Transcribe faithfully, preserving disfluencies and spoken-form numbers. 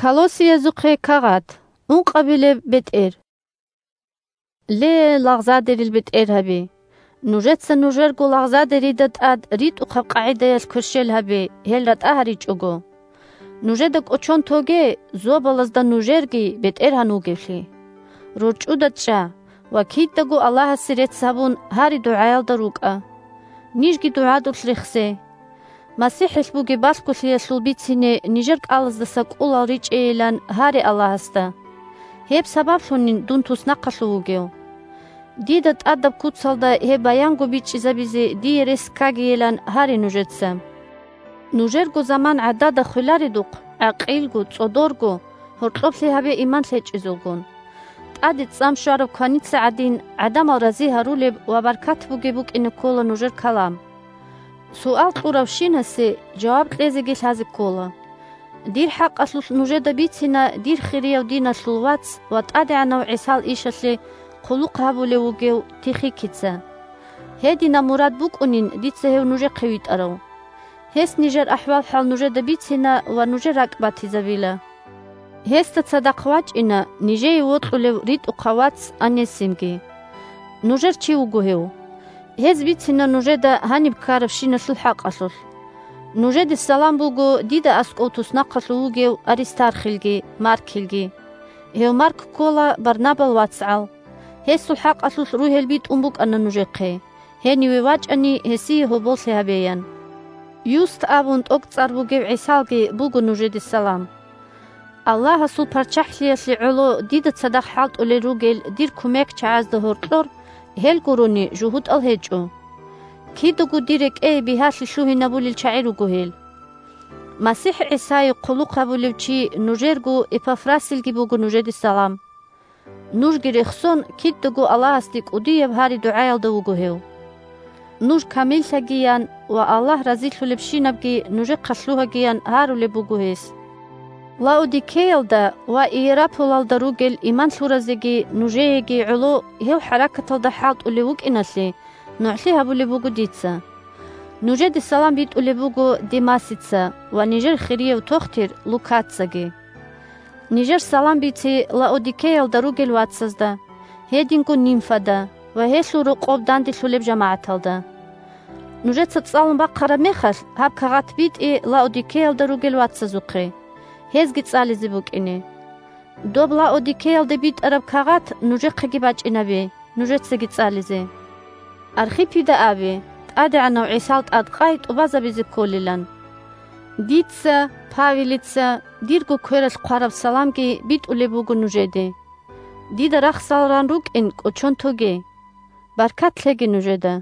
Колоссиязухъе кагъат. Ункъабилеб бетӀер. Ле, лагъзадерил бетӀергьаби! Нужеца нужерго лагъзадерида тӀад ритӀухъаб къагӀидаялъ кверщел гьабе, гьел ратӀа гьаричӀого. Нужеда кӀочон тоге, зобалазда нужерги бетӀергьан вугевлъи. РорчӀуда чӀа ва кидаго Аллагьасе рецц гьабун, гьари-дугӀаялда рукӀа. Нижги дугӀадулъ рехсе. МасихӀилъ бугеб балъголъиялъул бицине нижер кӀалаздаса кӀулал ричӀейилан гьаре Аллагьасда. Гьеб сабаблъунин дун туснахъалъув вугев. Дида тӀадаб куцалда гьеб баянго бичӀчӀизабизе дие рес ккагийилан гьаре нужеца. Нужерго заман гӀадада хвеларедухъ, гӀакъилго, цӀодорго, гьоркьоблъи гьабе иман лъечӀезулгун. ТӀаде цӀам щвараб кваница гӀадин, гӀадамал рази гьарулеб ва баркат бугеб букӀине ккола нужер калам. Суал кьуравщинасе жаваб кьезеги лъазе ккола. Дир хӀакъалъулъ нужеда бицина дир хирияв диналъул вац ва ТӀадегӀанав ГӀисал ишалъе хъулухъ гьабулев вугев Тихикица. Гьединаб мурад букӀунин дица гьев нужехъе витӀарав. Гьес нижер ахӀвал-хӀал нужеда бицина ва нужер ракӀ батизабила. Гьесда цадахъ вачӀина нижее вокьулев ритӀухъав вац Анесимги. Нужер чи вуго гьев. Гьез бицина нужеда гьаниб ккарабщиналъул хӀакъалъулъ. Нужеде салам буго дида аскӀов туснахъалъув вугев Аристархилги Маркилги. Гьев Марк ккола Барнабал вацгӀал. Гьесул хӀакъалъулъ ругьел битӀун букӀана нужехъе, гьениве вачӀани гьесие гьоболлъи гьабеян. Юст абун тӀокӀцӀар бугев ГӀисалги буго нужеде салам. Аллагьасул ПарччахӀлъиялъе гӀоло дида цадахъ хӀалтӀулел ругел дир кумекчагӀазда гьоркьор гьел гурони жугьутӀал гьечӀо. Кидаго дир рекӀее бигьалъи лъугьинабулел чагӀи руго гьел. МасихӀ ГӀисае хъулухъ гьабулев чи нужерго Эпафрасилги буго нужеде салам. Нужги рехсон, кидаго Аллагьасде кӀудияб гьари-дугӀаялда вуго гьев. Нуж камиллъагиян ва Аллагь разилъулебщинабги нужехъа лъугьагиян гьарулеб буго гьес. Лаодикеялда ва Иераполалда ругел иман лъуразеги нужееги гӀоло гьев хӀаракаталда хӀалтӀулев вукӀиналъе нугӀлъи гьабулеб буго дица. Нужеде салам битӀулеб буго Демасица ва нижер хирияв тохтир Лукацаги. Нижер салам бицей Лаодикеялда ругел вацазда, гьединго Нимфада ва гьелъул рокъоб данделъулеб жамагӀаталда. Нужеца цӀалун бахъараб мехалъ, гьаб кагъат битӀе Лаодикеялда ругел вацазухъе, гьезги цӀализе букӀине. Доб Лаодикеялде битӀараб кагъат нужехъеги бачӀинабе, нужецаги цӀализе. Архипида абе, ТӀадегӀанав ГӀисал тӀадкъай тӀубазабизе кколилан. Дица, Павелица, дирго квералъ хъвараб саламги битӀулеб буго нужеде. Дида рахсал ран рукӀин кӀочон тоге. Баркат лъеги нужеда.